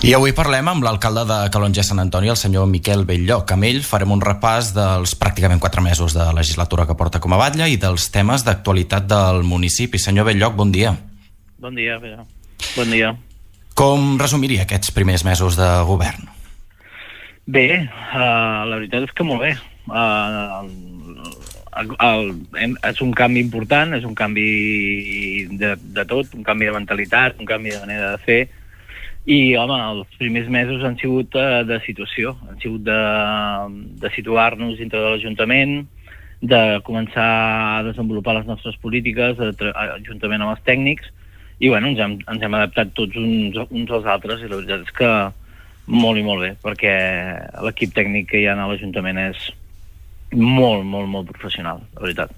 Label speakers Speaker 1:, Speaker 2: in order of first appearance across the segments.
Speaker 1: I avui parlem amb l'alcalde de Calonge Sant Antoni, el senyor Miquel Belllloc. Amb ell farem un repàs dels pràcticament 4 mesos de legislatura que porta com a batlle i dels temes d'actualitat del municipi. Senyor Belllloc, bon dia.
Speaker 2: Bon dia, Pere. Bon dia.
Speaker 1: Com resumiria aquests primers mesos de govern?
Speaker 2: Bé, la veritat és que molt bé. És un canvi important, és un canvi de tot, un canvi de mentalitat, un canvi de manera de fer. I, home, els primers mesos han sigut de situació, han sigut de situar-nos dintre de l'Ajuntament, de començar a desenvolupar les nostres polítiques juntament amb els tècnics, i bueno, ens hem adaptat tots uns als altres, i la veritat és que molt i molt bé, perquè l'equip tècnic que hi ha a l'Ajuntament és molt, molt, molt professional, la veritat.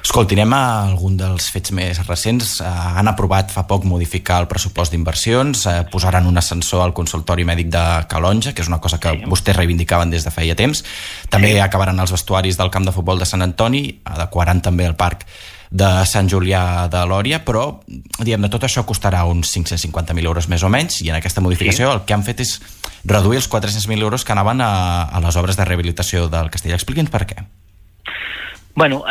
Speaker 1: Escolti, anem a algun dels fets més recents. Han aprovat fa poc modificar el pressupost d'inversions, posaran un ascensor al consultori mèdic de Calonge, que és una cosa que vostès reivindicaven des de feia temps. També acabaran els vestuaris del camp de futbol de Sant Antoni, adequaran també el parc de Sant Julià de Lòria, però diguem, de tot això costarà uns 550.000 euros més o menys, i en aquesta modificació el que han fet és reduir els 400.000 euros que anaven a les obres de rehabilitació del castell. Expliqui'ns per què.
Speaker 2: Bueno,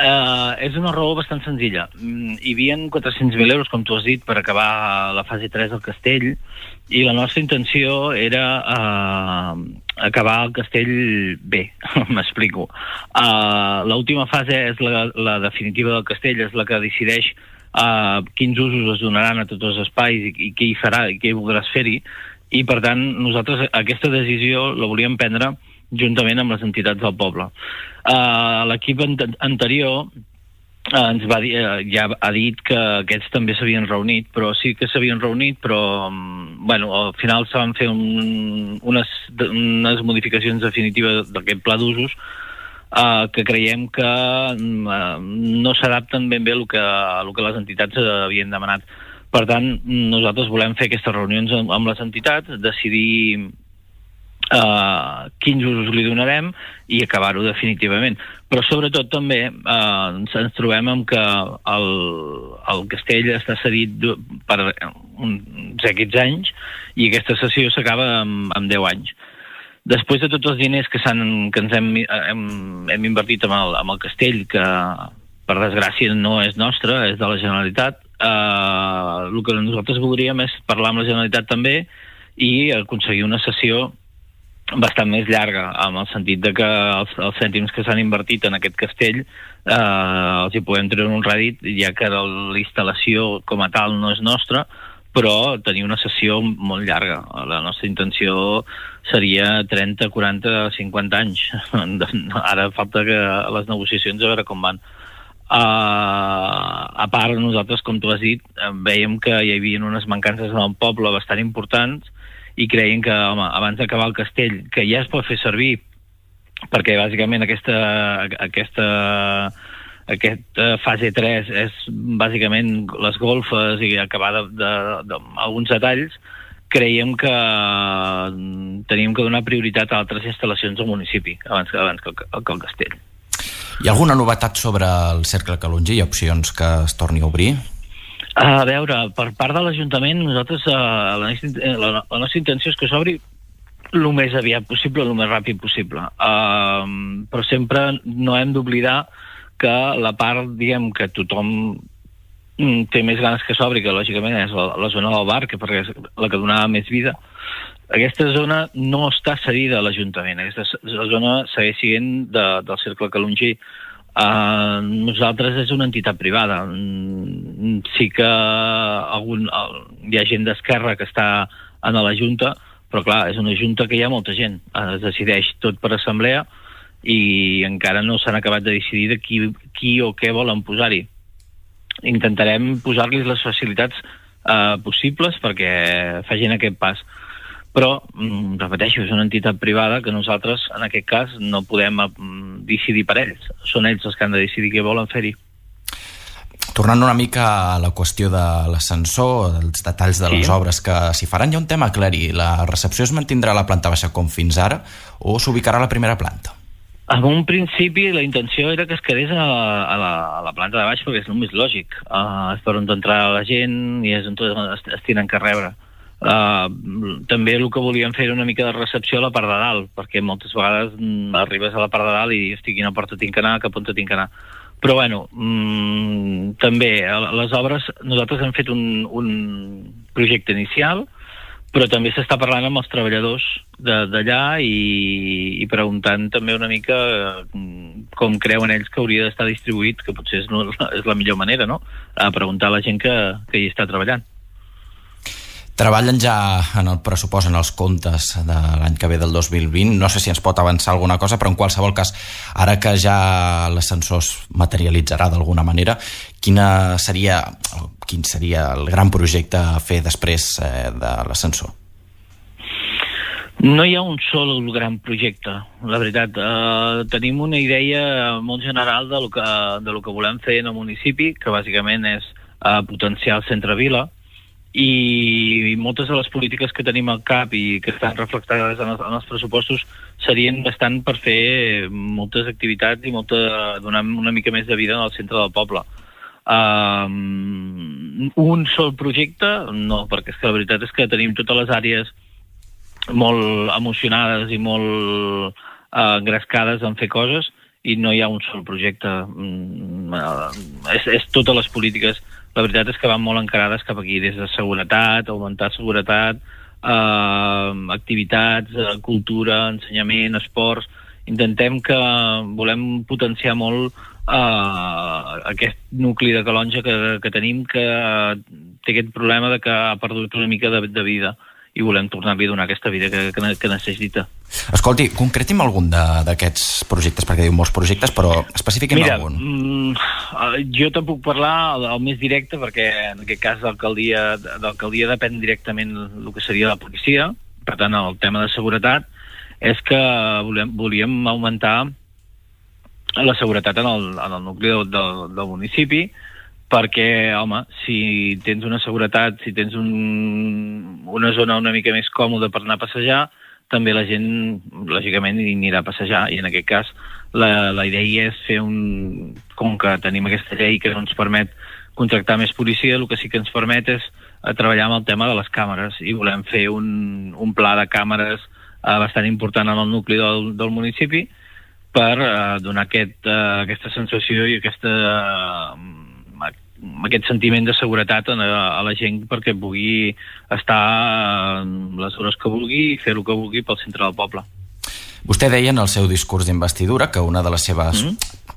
Speaker 2: és una raó bastant senzilla. Hi havia 400.000 euros, com tu has dit, per acabar la fase 3 del castell, i la nostra intenció era acabar el castell bé, m'explico. L'última fase és la definitiva del castell, és la que decideix quins usos es donaran a tots els espais i què hi farà i què hi voldràs fer-hi, i per tant nosaltres aquesta decisió la volíem prendre juntament amb les entitats del poble. L'equip anterior ens va dir, ja ha dit que aquests també s'havien reunit, però sí que s'havien reunit, però bueno, al final se van fer unes modificacions definitives d'aquest pla d'usos que creiem que no s'adapten ben bé a el que les entitats havien demanat. Per tant, nosaltres volem fer aquestes reunions amb les entitats, decidir quins usos li donarem i acabar-ho definitivament. Però sobretot també ens trobem amb que el castell està cedit per uns X anys i aquesta sessió s'acaba amb 10 anys. Després de tots els diners que ens hem invertit amb el castell, que per desgràcia no és nostre, és de la Generalitat, el que nosaltres voldríem és parlar amb la Generalitat també i aconseguir una sessió bastant més llarga, amb el sentit de que els cèntims que s'han invertit en aquest castell els hi podem treure un rèdit, ja que la instal·lació com a tal no és nostra, però tenir una sessió molt llarga. La nostra intenció seria 30, 40, 50 anys. Ara falta que les negociacions a veure com van. A part, nosaltres, com tu has dit, veiem que hi havia unes mancances en el poble bastant importants i creiem que, home, abans d'acabar el castell, que ja es pot fer servir, perquè bàsicament aquesta fase 3 és bàsicament les golfes i acabar d'alguns detalls, creiem que teníem que donar prioritat a altres instal·lacions al municipi abans que el castell.
Speaker 1: Hi ha alguna novetat sobre el Cercle Calonge? Hi ha opcions que es torni a obrir?
Speaker 2: A veure, per part de l'Ajuntament, nosaltres la nostra intenció és que s'obri el més aviat possible, el més ràpid possible. Però sempre no hem d'oblidar que la part, diguem, que tothom té més ganes que s'obri, que lògicament és la zona del bar, que perquè és la que donava més vida. Aquesta zona no està cedida a l'Ajuntament, aquesta zona segueix sent del Cercle Calongí. Nosaltres és una entitat privada. Sí que hi ha gent d'esquerra que està en la Junta, però clar, és una Junta que hi ha molta gent. Es decideix tot per assemblea i encara no s'han acabat de decidir de qui o què volen posar-hi. Intentarem posar-los les facilitats possibles perquè facin aquest pas. Però, repeteixo, és una entitat privada que nosaltres, en aquest cas, no podem decidir per ells. Són ells els que han de decidir què volen fer-hi.
Speaker 1: Tornant una mica a la qüestió de l'ascensor, dels detalls de les obres que s'hi faran, hi ha un tema a aclarir. La recepció es mantindrà a la planta baixa com fins ara o s'ubicarà a la primera planta?
Speaker 2: En un principi la intenció era que es quedés a la planta de baix perquè és el més lògic. És per on entrar la gent i és on es tenen que rebre. També el que volíem fer era una mica de recepció a la part de dalt, perquè moltes vegades arribes a la part de dalt i estic quina porta tinc que anar, cap on tinc que anar. Però bueno, també les obres, nosaltres hem fet un projecte inicial, però també s'està parlant amb els treballadors d'allà i preguntant també una mica com creuen ells que hauria d'estar distribuït, que potser és la millor manera, no? A preguntar a la gent que hi està treballant.
Speaker 1: Treballen ja en el pressupost, en els comptes de l'any que ve del 2020. No sé si ens pot avançar alguna cosa, però en qualsevol cas, ara que ja l'ascensor es materialitzarà d'alguna manera, quin seria el gran projecte a fer després de l'ascensor?
Speaker 2: No hi ha un sol gran projecte, la veritat. Tenim una idea molt general de lo que volem fer en el municipi, que bàsicament és potenciar el centre-vila, i moltes de les polítiques que tenim al cap i que estan reflectades en els pressupostos serien bastant per fer moltes activitats i donar una mica més de vida al centre del poble. Un sol projecte, no, perquè és que la veritat és que tenim totes les àrees molt emocionades i molt engrescades en fer coses i no hi ha un sol projecte. És totes les polítiques. La veritat és que van molt encarades cap aquí, des de seguretat, augmentar seguretat, activitats, cultura, ensenyament, esports. Volem potenciar molt aquest nucli de Calonge que tenim, que té aquest problema de que ha perdut una mica de vida i volem tornar-li a donar aquesta vida que necessita.
Speaker 1: Escolti, concreti'm algun d'aquests projectes, perquè diu molts projectes, però especifiquem algun.
Speaker 2: Jo te'n puc parlar el més directe, perquè en aquest cas d'alcaldia depèn directament el que seria la policia. Per tant, el tema de seguretat és que volíem augmentar la seguretat en el nucli del municipi, perquè, home, si tens una seguretat, si tens una zona una mica més còmoda per anar a passejar, també la gent, lògicament, hi anirà a passejar. I en aquest cas, la idea és fer com que tenim aquesta llei que no ens permet contractar més policia, el que sí que ens permet és treballar amb el tema de les càmeres. I volem fer un pla de càmeres bastant important en el nucli del municipi per donar aquesta sensació i aquest sentiment de seguretat a la gent perquè pugui estar les hores que vulgui i fer el que vulgui pel centre del poble.
Speaker 1: Vostè deia en el seu discurs d'investidura que una de les seves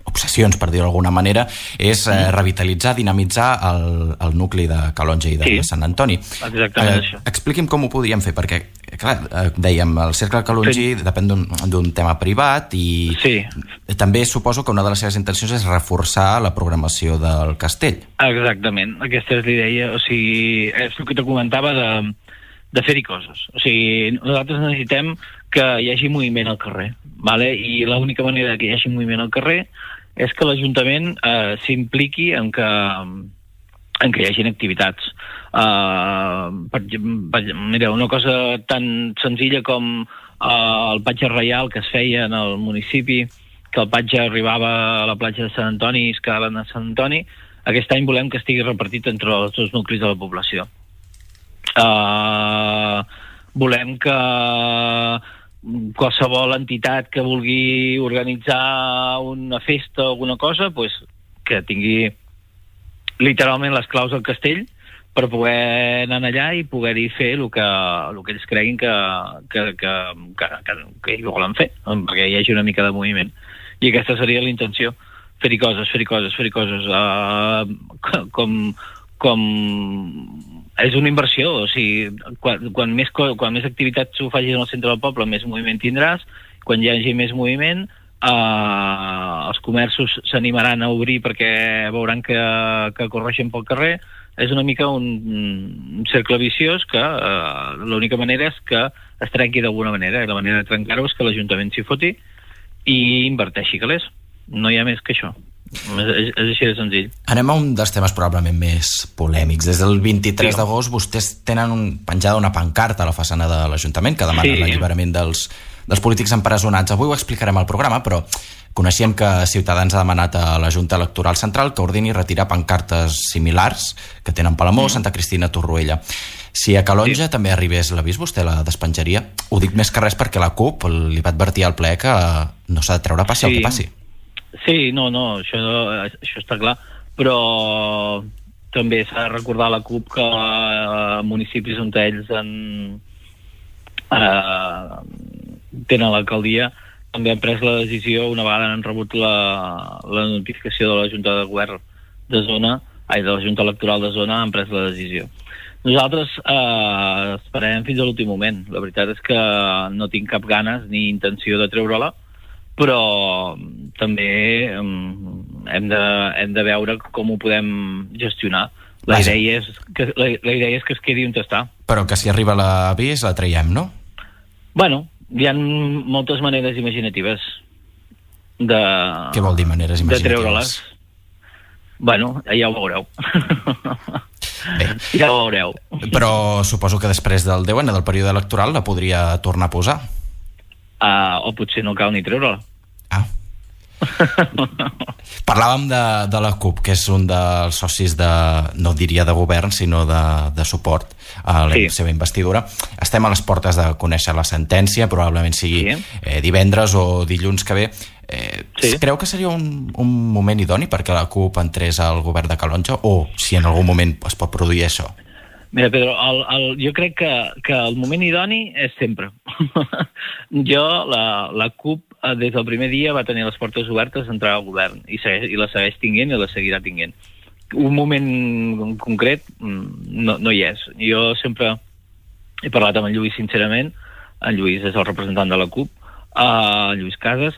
Speaker 1: obsessions, per dir-ho d'alguna manera, és revitalitzar, dinamitzar el nucli de Calonge i de Sant Antoni.
Speaker 2: Exactament això.
Speaker 1: Expliqui'm com ho podíem fer, perquè, clar, dèiem, el Cercle Calongi depèn d'un tema privat i també suposo que una de les seves intencions és reforçar la programació del castell.
Speaker 2: Exactament, aquesta és l'idea, o sigui, és el que te comentava de fer-hi coses. O sigui, nosaltres necessitem que hi hagi moviment al carrer, vale? I l'única manera que hi hagi moviment al carrer és que l'Ajuntament s'impliqui en que hi hagin activitats. Mira, una cosa tan senzilla com el patge reial que es feia en el municipi, que el patge arribava a la platja de Sant Antoni i es quedaven a Sant Antoni, aquest any volem que estigui repartit entre els dos nuclis de la població. Volem que qualsevol entitat que vulgui organitzar una festa o alguna cosa, pues, que tingui literalment les claus del castell per poder anar allà i poder-hi fer el que ells creguin que hi volen fer, perquè hi hagi una mica de moviment. I aquesta seria la intenció, fer-hi coses. Com és una inversió, o sigui, quan més activitats ho facis en el centre del poble, més moviment tindràs. Quan hi hagi més moviment, els comerços s'animaran a obrir perquè veuran que correixen pel carrer. És una mica un cercle viciós que l'única manera és que es trenqui d'alguna manera, i la manera de trencar-ho és que l'Ajuntament s'hi foti i inverteixi calés. No hi ha més que això. És així de senzill.
Speaker 1: Anem a un dels temes probablement més polèmics. Des del 23 d'agost vostès tenen penjada una pancarta a la façana de l'Ajuntament que demana l'alliberament dels dels polítics empresonats. Avui ho explicarem al programa, però coneixíem que Ciutadans ha demanat a la Junta Electoral Central que ordini retirar pancartes similars que tenen Palamós, Santa Cristina, Torroella. Si a Calonja també arribés l'avís, vostè la despenjaria? Ho dic més que res perquè la CUP li va advertir al ple que no s'ha de treure passi el que passi.
Speaker 2: Sí, no, això està clar, però també s'ha de recordar a la CUP que municipis on ells tenen l'alcaldia també han pres la decisió, una vegada han rebut la notificació de la Junta de Govern de Zona, de la Junta Electoral de Zona, han pres la decisió. Nosaltres esperem fins a l'últim moment. La veritat és que no tinc cap ganes ni intenció de treure-la, però també hem de veure com ho podem gestionar. La idea és que es quedi on està.
Speaker 1: Però que si arriba l'avís la traiem, no?
Speaker 2: Bueno, hi ha moltes maneres imaginatives de...
Speaker 1: Què vol dir maneres imaginatives?
Speaker 2: De treure-les. Bueno, ja ho veureu.
Speaker 1: Bé.
Speaker 2: Ja ho veureu.
Speaker 1: Però suposo que després del 10 del període electoral la podria tornar a posar.
Speaker 2: O potser no cal ni treure-la.
Speaker 1: Parlàvem de la CUP, que és un dels socis no diria de govern, sinó de suport a la seva investidura. Estem a les portes de conèixer la sentència, probablement sigui divendres o dilluns que ve. Creu que seria un moment idoni perquè la CUP entrés al govern de Calonja, o si en algun moment es pot produir això?
Speaker 2: Mira, Pedro, jo crec que el moment idoni és sempre. La CUP des del primer dia va tenir les portes obertes a entrar al govern i la segueix tenint i la seguirà tenint. Un moment concret no hi és. Jo sempre he parlat amb en Lluís sincerament, en Lluís és el representant de la CUP, Lluís Casas,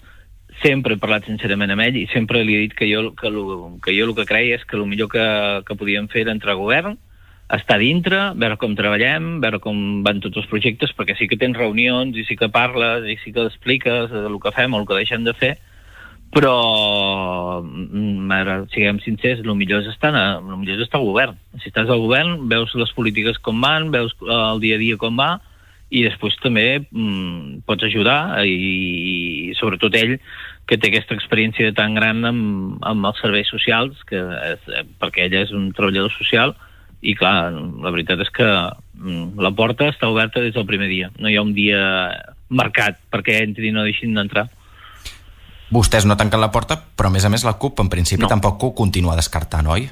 Speaker 2: sempre he parlat sincerament amb ell i sempre li he dit que jo el que creia és que el millor que podíem fer era entrar al govern, estar dintre, veure com treballem, veure com van tots els projectes, perquè sí que tens reunions i sí que parles i sí que expliques el que fem o el que deixem de fer, però siguem sincers, el millor és estar al govern. Si estàs al govern, veus les polítiques com van, veus el dia a dia com va, i després també pots ajudar, i sobretot ell, que té aquesta experiència tan gran amb els serveis socials, perquè ell és un treballador social, i clar, la veritat és que la porta està oberta des del primer dia. No hi ha un dia marcat perquè entri i no deixin d'entrar.
Speaker 1: Vostès no tanquen la porta, però a més la CUP en principi tampoc ho continua descartant, oi?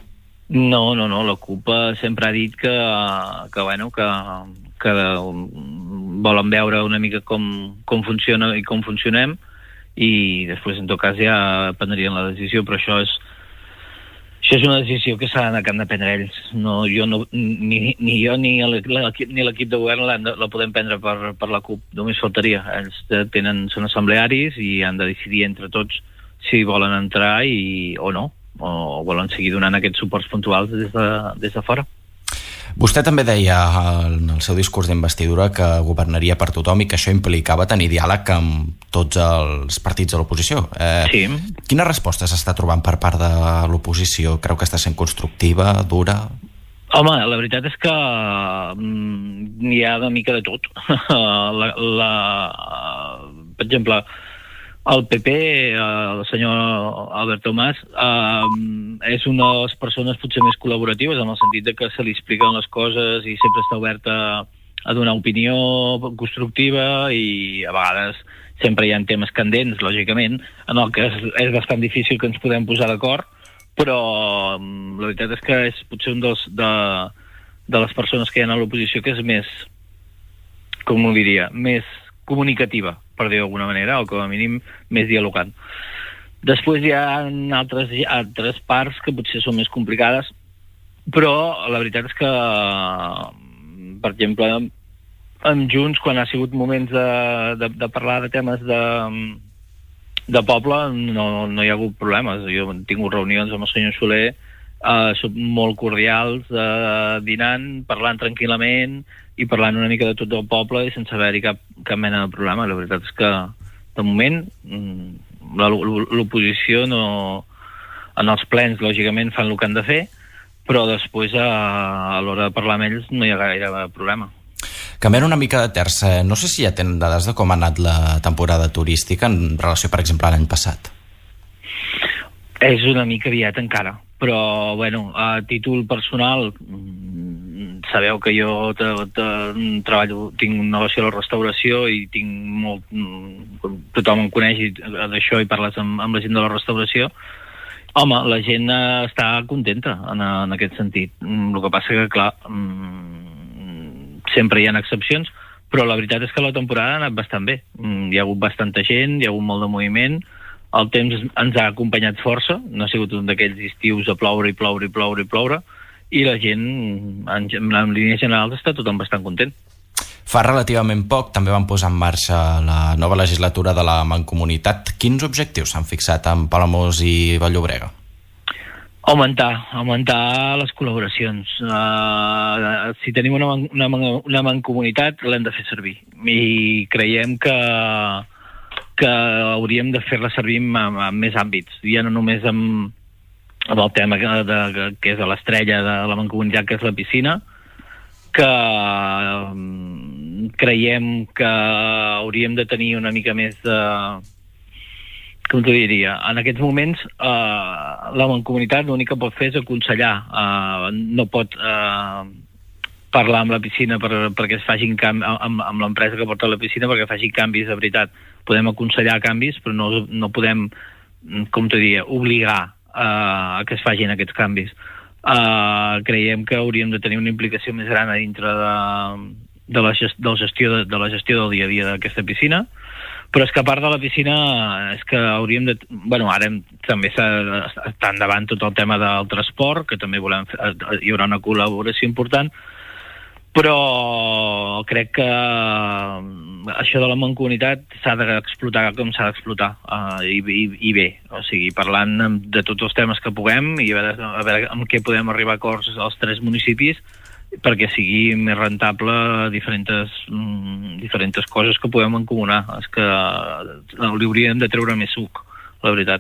Speaker 2: No, la CUP sempre ha dit que volen veure una mica com funciona i com funcionem, i després en tot cas ja prendrien la decisió, però això és una decisió que han de prendre ells. Ni jo ni l'equip de govern la podem prendre per la CUP, només faltaria. Ells són assemblearis i han de decidir entre tots si volen entrar o no, o volen seguir donant aquests suports puntuals des de fora.
Speaker 1: Vostè també deia en el seu discurs d'investidura que governaria per tothom i que això implicava tenir diàleg amb tots els partits de l'oposició.
Speaker 2: Sí.
Speaker 1: Quina resposta s'està trobant per part de l'oposició? Creu que està sent constructiva, dura?
Speaker 2: Home, la veritat és que n'hi ha una mica de tot. Per exemple, el PP, el senyor Albert Tomàs, és una de les persones potser més col·laboratives en el sentit de que se li expliquen les coses i sempre està oberta a donar opinió constructiva, i a vegades sempre hi ha temes candents, lògicament, en el que és bastant difícil que ens podem posar d'acord, però la veritat és que és potser un de les persones que hi ha a l'oposició que és més, com ho diria, més comunicativa, per dir d'alguna manera, o com a mínim més dialogant. Després hi ha altres parts que potser són més complicades, però la veritat és que, per exemple, amb Junts, quan ha sigut moments de parlar de temes de poble, no hi ha hagut problemes. Jo he tingut reunions amb el senyor Soler, són molt cordials, dinant, parlant tranquil·lament i parlant una mica de tot el poble i sense haver-hi cap mena de problema. La veritat és que, de moment, l'oposició en els plens, lògicament, fan el que han de fer, però després, a l'hora de parlar amb ells, no hi ha gaire problema.
Speaker 1: Canviant una mica de terç, no sé si ja tenen dades de com ha anat la temporada turística en relació, per exemple, a l'any passat.
Speaker 2: És una mica aviat encara, però, bueno, a títol personal, sabeu que jo treballo, tinc un negoci a la restauració i tinc molt... Tothom em coneix d'això i parles amb la gent de la restauració. Home, la gent està contenta en aquest sentit. El que passa que, clar, sempre hi ha excepcions, però la veritat és que la temporada ha anat bastant bé. Hi ha hagut bastanta gent, hi ha hagut molt de moviment, el temps ens ha acompanyat força, no ha sigut un d'aquells estius a ploure i ploure i ploure i ploure, i la gent, en línies generals, està tothom bastant content.
Speaker 1: Fa relativament poc també van posar en marxa la nova legislatura de la Mancomunitat. Quins objectius s'han fixat en Palamós i Vall-llobrega?
Speaker 2: Augmentar les col·laboracions. Si tenim una mancomunitat, l'hem de fer servir. I creiem que hauríem de fer-la servir en més àmbits. Ja no només amb el tema que és l'estrella de la mancomunitat, que és la piscina, que creiem que hauríem de tenir una mica més de... Com t'ho diria? En aquests moments, la mancomunitat l'únic que pot fer és aconsellar. No pot parlar amb la piscina perquè es facin amb l'empresa que porta la piscina perquè faci canvis de veritat. Podem aconsellar canvis, però no podem, com t'ho diria, obligar a que es facin aquests canvis. Creiem que hauríem de tenir una implicació més gran a dintre de la gestió del dia a dia d'aquesta piscina, però és que a part de la piscina és que hauríem de... Bueno, ara també està endavant tot el tema del transport, que també hi haurà una col·laboració important, però crec que això de la mancomunitat s'ha d'explotar com s'ha d'explotar, i bé, o sigui, parlant de tots els temes que puguem i a veure amb què podem arribar a acords als 3 municipis perquè sigui més rentable diferents coses que podem encomanar. És que li hauríem de treure més suc, la veritat.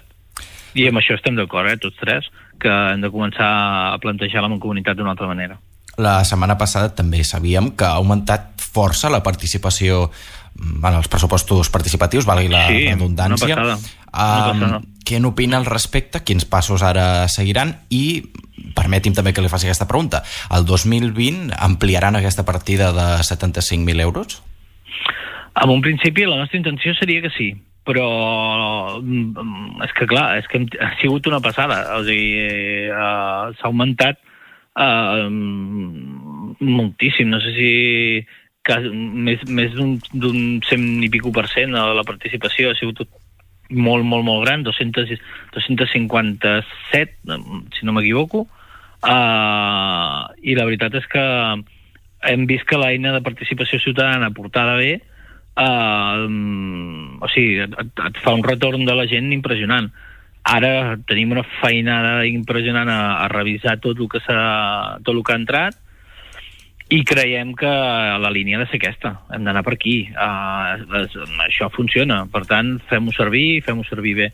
Speaker 2: I amb això estem d'acord, tots 3, que hem de començar a plantejar la mancomunitat d'una altra manera.
Speaker 1: La setmana passada també sabíem que ha augmentat força la participació en els pressupostos participatius, valgui la redundància.
Speaker 2: Una passada.
Speaker 1: Què n'opina al respecte? Quins passos ara seguiran? I permeti'm també que li faci aquesta pregunta. El 2020 ampliaran aquesta partida de 75.000 euros?
Speaker 2: En un principi la nostra intenció seria que sí, però és que clar, és que ha sigut una passada. O sigui, s'ha augmentat moltíssim, no sé si més d'un 100 i pico % de la participació. Ha sigut molt gran, 257, si no m'equivoco, i la veritat és que hem vist que l'eina de participació ciutadana portada bé, o sigui, et fa un retorn de la gent impressionant. Ara tenim una feinada impressionant a revisar tot el que ha entrat, i creiem que la línia ha de ser aquesta. Hem d'anar per aquí. Això funciona. Per tant, fem-ho servir bé.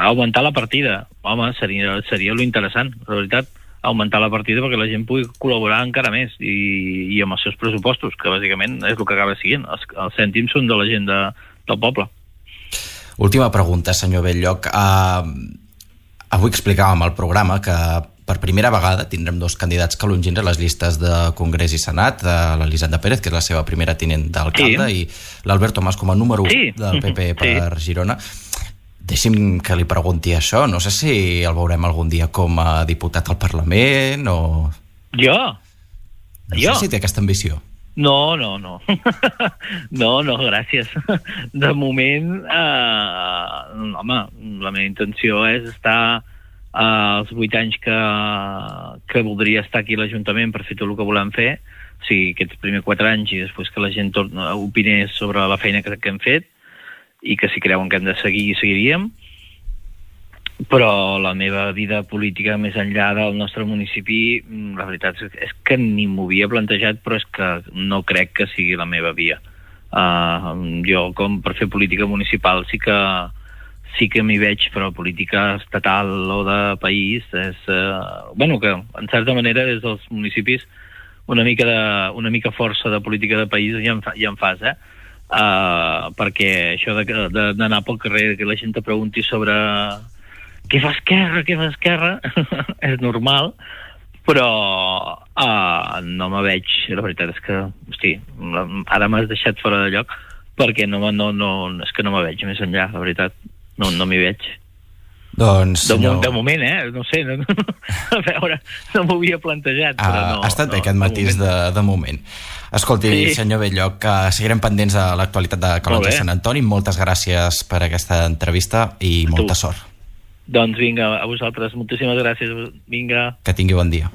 Speaker 2: Augmentar la partida. Home, seria lo interessant, la veritat. Augmentar la partida perquè la gent pugui col·laborar encara més i amb els seus pressupostos, que bàsicament és el que acaba siguent. Els cèntims són de la gent del poble.
Speaker 1: Última pregunta, senyor Bell-lloc. Avui explicàvem al programa que per primera vegada tindrem 2 candidats calongins a les llistes de Congrés i Senat, l'Elisenda Pérez, que és la seva primera tinent d'alcalde, i l'Albert Tomàs com a número 1 del PP per Girona. Deixi'm que li pregunti això. No sé si el veurem algun dia com a diputat al Parlament o...
Speaker 2: Jo?
Speaker 1: No sé si té aquesta ambició.
Speaker 2: No. No, gràcies. De moment, home, la meva intenció és estar els 8 anys que voldria estar aquí a l'Ajuntament per fer tot el que volem fer, o sigui, aquests primers 4 anys i després que la gent opinés sobre la feina que hem fet i que si creuen que hem de seguir, seguiríem. Però la meva vida política més enllà del nostre municipi, la veritat és que ni m'ho havia plantejat, però és que no crec que sigui la meva via. Jo, com per fer política municipal, sí que m'hi veig, però política estatal o de país és... que en certa manera des dels municipis una mica força de política de país ja en fas, perquè això d'anar pel carrer, que la gent te pregunti sobre què fa Esquerra, és normal, però no me veig, la veritat és que, hosti, ara m'has deixat fora de lloc, perquè és que no me veig més enllà, la veritat, no m'hi veig.
Speaker 1: Doncs, senyor...
Speaker 2: De moment, no sé, a veure, no m'ho havia plantejat, però no...
Speaker 1: Ha estat bé aquest matís de moment. Escolti, sí. Senyor Belloc, que seguirem pendents de l'actualitat de Calonge i Sant Antoni. Moltes gràcies per aquesta entrevista i molta sort.
Speaker 2: Doncs vinga, a vosaltres, moltíssimes gràcies, vinga.
Speaker 1: Que tingui bon dia.